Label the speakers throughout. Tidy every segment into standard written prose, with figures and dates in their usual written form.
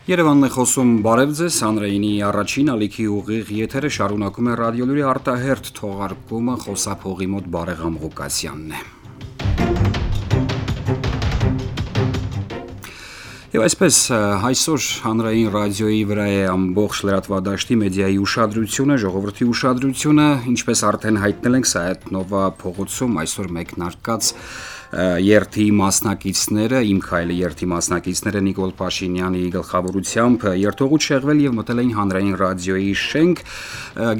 Speaker 1: Երևանն է խոսում բարև ձեզ, հանրայինի առաջին ալիքի ուղիղ եթերը շարունակում է ռադիոլուրի արտահերթ թողարկումը խոսափողի մոտ Բարեգամ Ղուկասյանն է։ Եվ այսպես այսօր հանրային ռադիոյի վրա է ամբողջ լրատվադաշտի մեդիայի ուշադրությունը, ժողովրդի ուշադրությունը, ինչպես արդեն հայտնել ենք Սայաթ-Նովա փողոցում այսօր մեկնարկած երթի մասնակիցները, Իմ քայլը երթի մասնակիցները Նիկոլ Փաշինյանի գլխավորությամբ երթուղուց շեղվել եւ մտել էին հանրային ռադիոյի շենք,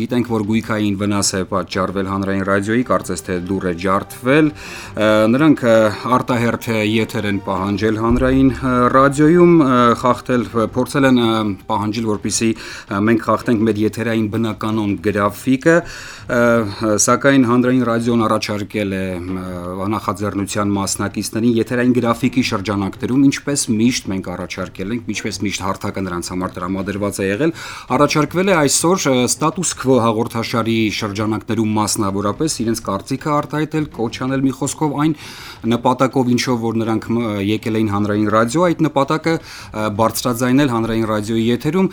Speaker 1: գիտենք, որ գույքային վնաս է պատճառվել հանրային ռադիոյի, կարծես թե դուռ է ջարդվել, նրանք արտահերթ եթեր են պահանջել հանրային ռադիոյում, խախտել, փորձել են պահանջել, որպեսզի մենք խախտենք մեր եթերային բնականոն գրաֆիկը, սակայն հանրային ռադիոն առաջարկել է նախաձեռնության մասնակիցներին եթերային գրաֆիկի շրջանակներում, ինչպես միշտ մենք առաջարկել ենք, ինչպես միշտ հարթակը նրանց համար տրամադրված է եղել, առաջարկվել է այսօր ստատուս քվո հաղորդաշարի շրջանակներում մասնավորապես իրենց կարծիքը արտահայտել, կոչ անել մի խոսքով այն նպատակով, ինչով որ նրանք եկել էին հանրային ռադիո, այդ նպատակը բարձրաձայնել հանրային ռադիոյի եթերում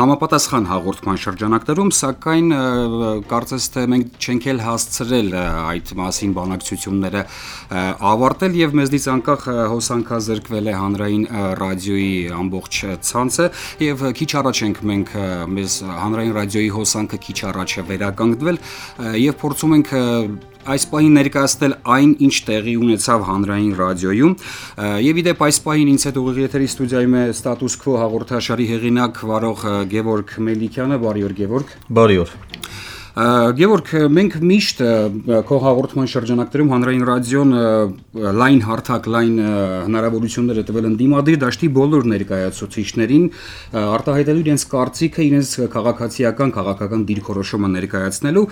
Speaker 1: համապատասխան հաղորդման շրջանակներում, սակայն կարծես թե մենք չենք էլ հասցրել այդ մասին բանակցությունները ավարտել եւ մեզնից անկախ հոսանքազրկվել է հանրային ռադիոյի ամբողջ ցանցը եւ քիչ առաջ ենք մենք մեզ հանրային ռադիոյի հոսանքը քիչ առաջ է վերականգնվել եւ փորձում ենք այս պահին ներկայացնել այն, ինչ տեղի ունեցավ հանրային ռադիոյում եւ իդեպ այս պահին ինձ հետ ուղիղ եթերի ստուդիայում է ստատուս քվո հաղորդաշարի հեղինակ վարող Գևորգ Մելիքյանը, բարի օր Գևորգ։
Speaker 2: Բարի օր։
Speaker 1: Գևորգ, մենք միշտ քո հաղորդման շրջանակներում հանրային ռադիոն լայն հարթակ, լայն հնարավորություններ է տվել ընդդիմադիր դաշտի բոլոր ներկայացուցիչներին արտահայտելու իրենց կարծիքը, իրենց քաղաքական դիրքորոշումը ներկայացնելու,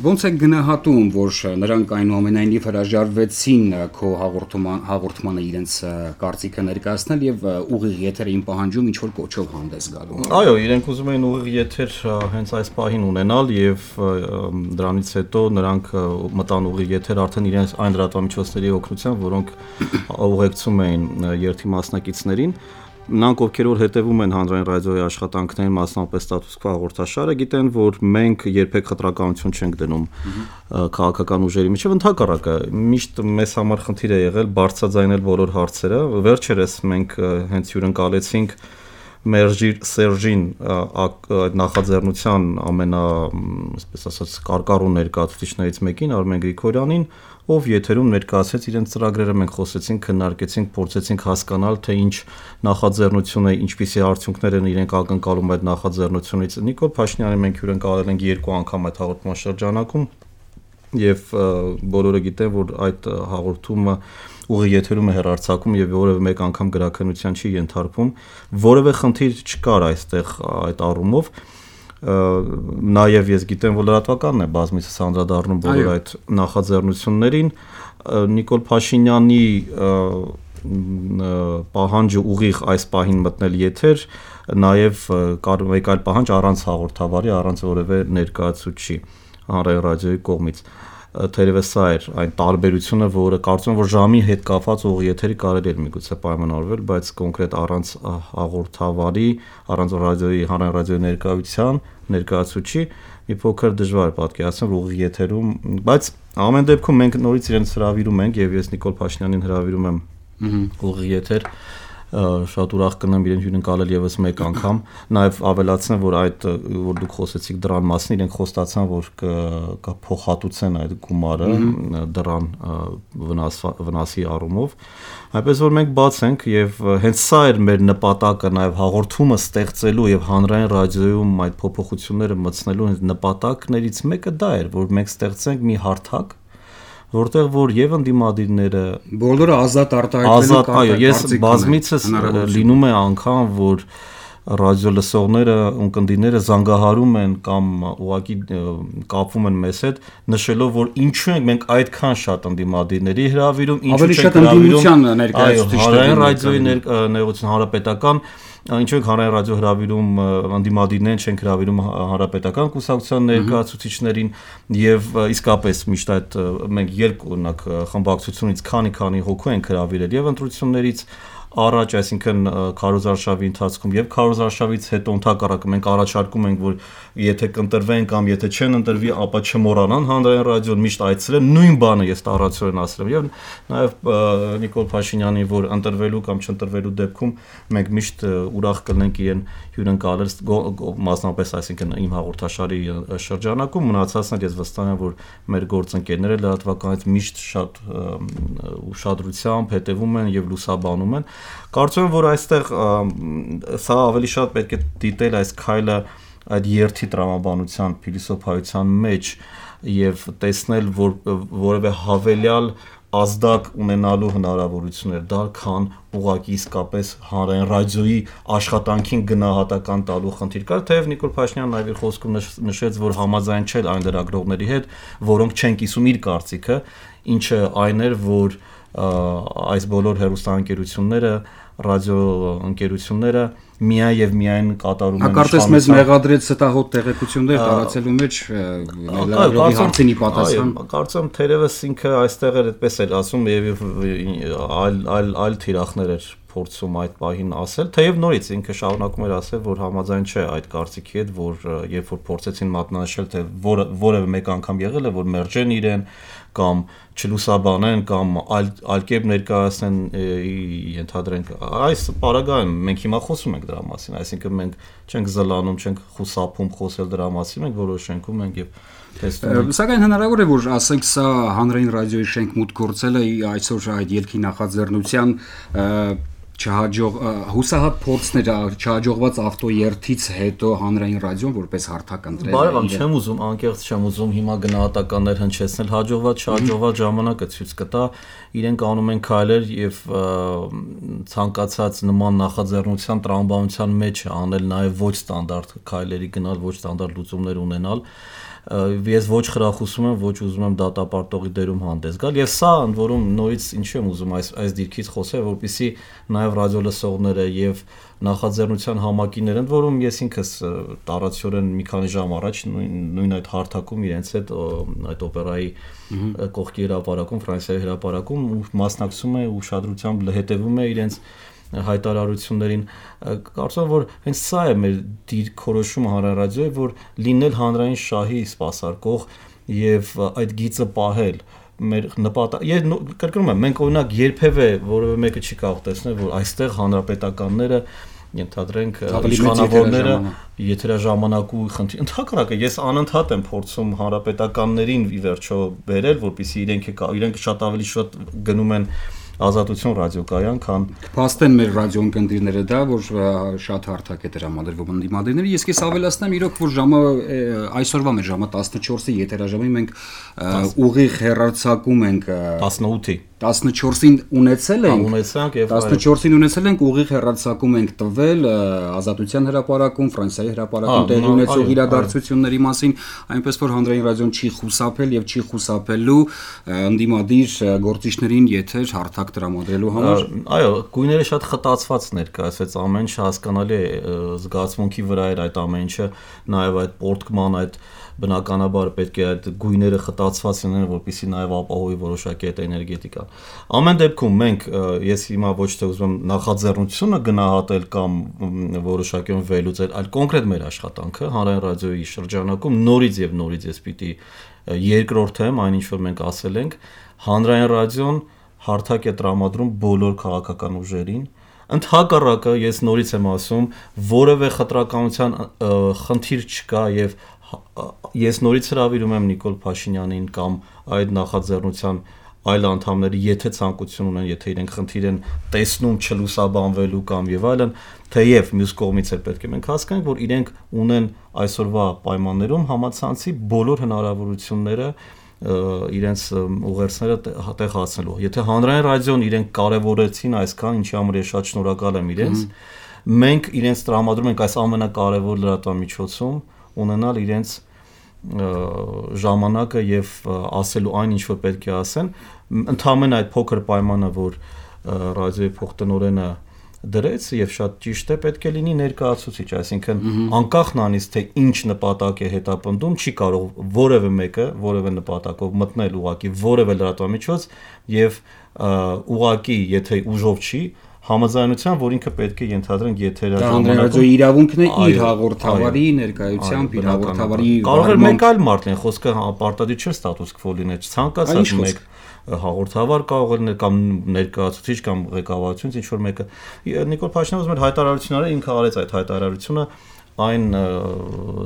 Speaker 1: ոնց է գնահատում, որ նրանք այնուամենայնիվ հրաժարվեցին քո հաղորդմանը իրենց կարծիքը ներկայացնել եւ ուղիղ եթերին պահանջում ինչ որ կոչով հանդես գալու։
Speaker 2: Այո, իրենք ուզում էին ուղիղ եթեր հենց այս պահին ունենալ եւ դրանից հետո նրանք մտան ուղիղ եթեր արդեն իրենց այն լրատվամիջոցների օգնությամբ, որոնք ուղեկցում էին երթի մասնակիցներին, նրանք ովքեր որ հետևում են հանրային ռադիոյի աշխատանքներին, մասնավորապես ստատուս քվո հաղորդաշարը, գիտեն, որ մենք երբեք խտրականություն չենք դնում քաղաքական ուժերի միջև, ընդհակառակը միշտ մեզ համար խնդիր է եղել բարձրաձայնել բոլոր հարցերը, վերջերս մենք հենց հյուրընկալեցինք Մերժիր Սերժին նախաձեռնության այսպես ասած կարկառու ներկայացուցիչներից մեկին Արմեն Գրիգորյանին, ով եթերում ներկայացրեց իրենց ծրագրերը, մենք խոսեցինք, քննարկեցինք, փորձեցինք հասկանալ, թե ինչ նախաձեռնություն է, ինչպիսի արդյունքներ են իրենք ակնկալում այդ նախաձեռնությունից։ Նիկոլ Փաշինյանի մենք հյուրընկալել ենք 2 անգամ այդ հաղորդման շրջանակում եւ բոլորը գիտեն, որ այդ հաղորդումը ուղիղ եթերում է հեռարձակում եւ որևէ մեկ անգամ գրաքննության չի ենթարկվում, որևէ խնդիր չկար այստեղ այդ առումով, նաեւ ես գիտեմ, որ լրատվականն է բազմիցս անդրադառնում բոլոր այդ նախաձեռնություններին, Նիկոլ Փաշինյանի պահանջը ուղիղ այս պահին մտնել եթեր, նաեւ կար մեկ այլ պահանջ առանց հաղորդավարի, առանց որևէ ներկայացուցիչի հանրային ռադիոյի կողմից։ Թերևս սա էր այն տարբերությունը, որը կարծում եմ, որ ժամի հետ կապված ուղիղ եթերի կարելի էր միգուցե պայմանավորվել, բայց կոնկրետ առանց հաղորդավարի, առանց ռադիոյի հանրային ռադիոյի ներկայացուցիչի մի փոքր դժվար պատկերացնել ուղիղ եթերում, բայց ամեն դեպքում մենք նորից իրենց հրավիրում ենք եւ ես Նիկոլ Փաշինյանին հրավիրում եմ ուղիղ եթեր, շատ ուրախ կնեմ իրեն հյուրընկալել եւս մեկ անգամ, նաեւ ավելացնեմ, որ որ դուք խոսեցիք դրան մասին, իրենք խոստացան, որ կփոխհատուցեն այդ գումարը դրան վնասի առումով, այնպես որ մենք բաց ենք եւ հենց սա էր մեր նպատակը, նաեւ հաղորդումը ստեղծելու եւ հանրային ռադիոյում այդ փոփոխությունները մտցնելու նպատակներից մեկը դա էր, որ մենք ստեղծենք մի հարթակ, որտեղ որ եւ ընդդիմադիրները
Speaker 1: բոլորը ազատ արտահայտվելու
Speaker 2: այո, ես բազմիցս լինում է անգամ, որ ռադիո լսողները, ունկնդիրները զանգահարում են կամ ուղղակի կապվում են մեզ հետ, նշելով, որ ինչու ենք մենք այդքան շատ ընդդիմադիրների հրավիրում, ինչու չենք հրավիրում հանրային ռադիոյի ներկայացուցիչ հանրապետական Ինչու ենք հանրային ռադիո հրավիրում ընդդիմադիրներին, չենք հրավիրում հանրապետական կուսակցության ներկայացուցիչներին եւ իսկապես միշտ այդ մենք երկու օրինակ խմբակցությունից քանի հոգու ենք հրավիրել եւ ընտրություններից առաջ, այսինքն քարոզարշավի ընթացքում եւ քարոզարշավից հետո ընդհակառակը մենք առաջարկում ենք, որ եթե կընտրվեն կամ եթե չեն ընտրվի, ապա չմոռանան հանրային ռադիոն միշտ այցելել, նույն բանը ես տարածորեն ասել եմ եւ նաեւ Նիկոլ Փաշինյանին, որ ընտրվելու կամ չընտրվելու դեպքում մենք միշտ ուրախ կլինենք իրեն հյուրընկալել մասնապես, այսինքն իմ հաղորդաշարի շրջանակում, մնացածն էլ ես վստահ եմ, որ մեր գործընկերները լրատվականից միշտ շատ ուշադրությամբ հետևում են եւ լուսաբանում են։ Կարծում եմ, որ այստեղ սա ավելի շատ պետք է դիտել այս քայլը այդ երթի տրամաբանության փիլիսոփայության մեջ եւ տեսնել, որ որևէ հավելյալ ազդակ ունենալու հնարավորություններ դա քան ուղղակի իսկապես հանրային ռադիոյի աշխատանքին գնահատական տալու խնդիր կար, թեև Նիկոլ Փաշինյանն այլ խոսքում նշեց, որ համաձայն չէ այն լրագրողների հետ, որոնք չեն կիսում իր կարծիքը, ինչը այն էր, որ այս բոլոր հեռուստաընկերությունները, ռադիոընկերությունները միայն եւ միայն կատարում են
Speaker 1: հակառակս մեզ մեղադրեց ստահոդ տեղեկություններ տարածելու մեջ լրագրողի հարցինի պատասխան։
Speaker 2: Կարծում եմ թերևս ինքը այստեղ էր այդպես էլ ասում եւ այլ թիրախներ էր փորձում այդ պահին ասել, թեև նորից ինքը շարունակում էր ասել, որ համաձայն չէ այդ կարծիքի հետ, որ երբ որ փորձեցին մատնանշել, թե որևէ մեկ անգամ եղել է, որ մերժեն իրեն կամ չլուսաբանեն կամ այլ կերպ ներկայացնեն, ենթադրենք այս պարագայում մենք հիմա խոսում ենք դրա մասին, այսինքն մենք չենք զլանում, չենք խուսափում խոսել դրա մասին, մենք որոշենքում ենք եւ
Speaker 1: Սակայն հնարավոր է, որ ասենք սա հանրային ռադիոյի շենք մուտք գործելը այսօր այդ ելքի նախաձեռնության հուսահատ փորձներ չհաջողված ավտոերթից հետո հանրային ռադիոն որպես հարթակ ընտրել։
Speaker 2: Բարևամ, չեմ ուզում, անկեղծ չեմ ուզում հիմա գնահատականներ հնչեցնել, հաջողված չհաջողված ժամանակը ցույց կտա, իրենք անում են քայլեր եւ ցանկացած նման նախաձեռնության տրամաբանության մեջ անել նաեւ ոչ ստանդարտ քայլերի գնալ, ոչ ստանդարտ լուծումներ ունենալ։ Ես ոչ խրախուսում եմ, ոչ ուզում եմ դատապարտողի դերում հանդես գալ եւ սա ընդ որում նորից ինչու եմ ուզում այս դիրքից խոսել, որպեսզի նաեւ ռադիոլսողները եւ նախաձեռնության համակիները, ընդ որում ես ինքս տարածորեն մի քանի ժամ առաջ նույն այդ հարթակում իրենց հետ այդ օպերայի կողքի հրապարակում, Ֆրանսիայի հրապարակում մասնակցում է ուշադրությամբ հետևում է իրենց հայտարարություններին, կարծում եմ, որ հենց սա է մեր դիրքորոշումը հանրային ռադիոյի, որ լինել հանրային շահի սպասարկող եւ այդ գիծը պահել մեր նպատակ։ Կրկնում եմ, մենք օրինակ երբևէ որևէ մեկը չի կարող տեսնել, որ այստեղ հանրապետականները ենթադրենք իշխանավորները եթերաժամանակու խնդիր։ Ընդհակառակը ես անընդհատ եմ փորձում հանրապետականներին ի վերջո բերել, որպեսզի իրենք շատ ավելի շատ գնում են Ազատություն ռադիոկայան, քան
Speaker 1: փաստեն մեր ռադիոընկերները դա, որ շատ հարթակ է տրամադրվում ընդդիմադիրների։ Ես քեզ ավելացնեմ, իրոք որ ժամը այսօրվա մեր ժամը 14-ի եթերաժամի մենք ուղիղ հեռարձակում ենք
Speaker 2: 18-ի
Speaker 1: 14-ին ունեցել
Speaker 2: ենք եւ
Speaker 1: 14-ին ունեցել ենք ուղիղ հեռարձակում ենք տվել Ազատության հրապարակում, Ֆրանսիայի հրապարակում տեղի ունեցող իրադարձությունների մասին, այնպես որ հանրային ռադիոն չի խուսափել եւ չի խուսափելու ընդդիմադիր գործիչներին եթեր հարթակ տրամադրելու համար։
Speaker 2: Այո, գույները շատ խտացված ներկայացվեց, ամեն ինչ հասկանալի է, զգացմունքի վրա էր այդ ամեն ինչը, նաեւ այդ պորտկման այդ բնականաբար պետք է այդ գույները խտացված լինեն, որպեսզի նաև ապահովի որոշակի այդ էներգետիկան։ Ամեն դեպքում մենք ես հիմա ոչ թե ուզում եմ նախաձեռնությունը գնահատել կամ որոշակիորեն վերլուծել, այլ կոնկրետ մեր աշխատանքը հանրային ռադիոյի շրջանակում նորից ես պիտի երկրորդեմ այն ինչ որ մենք ասել ենք, հանրային ռադիոն հարթակ է տրամադրում բոլոր քաղաքական ուժերին։ Ընդհակառակը ես նորից եմ ասում, որևէ խտրականության խնդիր չկա եւ ես նորից հրավիրում եմ Նիկոլ Փաշինյանին կամ այդ նախաձեռնության այլ անդամների, եթե ցանկություն ունեն, եթե իրենք խնդիր են տեսնում չլուսաբանվելու կամ եւ այլն, թեև մյուս կողմից էլ պետք է մենք հասկանանք, որ իրենք ունեն այսօրվա պայմաններում համացանցի բոլոր հնարավորությունները իրենց ուղերձները տեղ հասնելու։ Եթե հանրային ռադիոն իրենք կարևորեցին այսքան, ինչի համար ես շատ շնորհակալ եմ իրենց, մենք իրենց տրամադրում ենք այս ամենակարևոր լրատվամիջոցում ունենալ իրենց ժամանակը եւ ասելու այն ինչ որ պետք է ասեն, ընդհանրապես այդ փոքր պայմանը, որ ռադիոյի փոխտնօրենը դրեց եւ շատ ճիշտ է, պետք է լինի ներկայացուցիչ, այսինքն անկախ նրանից թե ինչ նպատակ է հետապնդում, չի կարող որևէ մեկը որևէ նպատակով մտնել ուղակի որևէ լրատվամիջոց եւ ուղակի եթե ուժով չի համաձայնության, որ ինքը պետք է ենթադրենք եթեր
Speaker 1: ժամանակում իրավունքն է իր հաղորդավարի ներկայությամբ իր հաղորդավարի
Speaker 2: կարող է մեկ այլ մարդ լինի, խոսքը պարտադիր չէ ստատուս քվո լինել, ցանկացած մեկ հաղորդավար կարող է լինել կամ ներկայացուցիչ կամ ղեկավարությունից ինչ որ մեկը։ Նիկոլ Փաշինյանը ուզում էր հայտարարությունները ինքը արեց այդ հայտարարությունը այն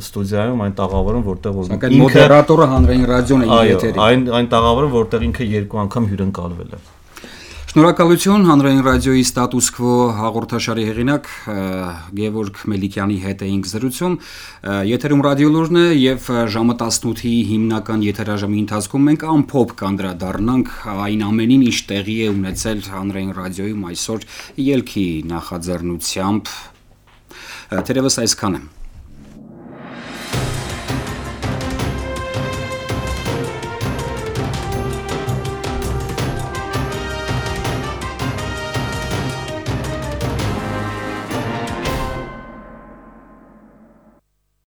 Speaker 2: ստուդիայում, այն տաղավարում, որտեղ
Speaker 1: որ մոդերատորը հանրային ռադիոն է եթերում,
Speaker 2: այն տաղավարում, որտեղ ինքը երկու անգամ հյուրընկալվել է։
Speaker 1: Շնորհակալություն հանրային ռադիոյի ստատուս քվո հաղորդաշարի հեղինակ Գևորգ Մելիքյանի հետ էինք զրուցում։ Եթերում ռադիոլուրն է եւ ժամը 18-ի հիմնական եթերաժամի ընթացքում մենք ամփոփ կանդրադառնանք այն ամենին, ինչ տեղի է ունեցել հանրային ռադիոյում այսօր ելքի նախաձեռնությամբ։ Թերևս այսքան է։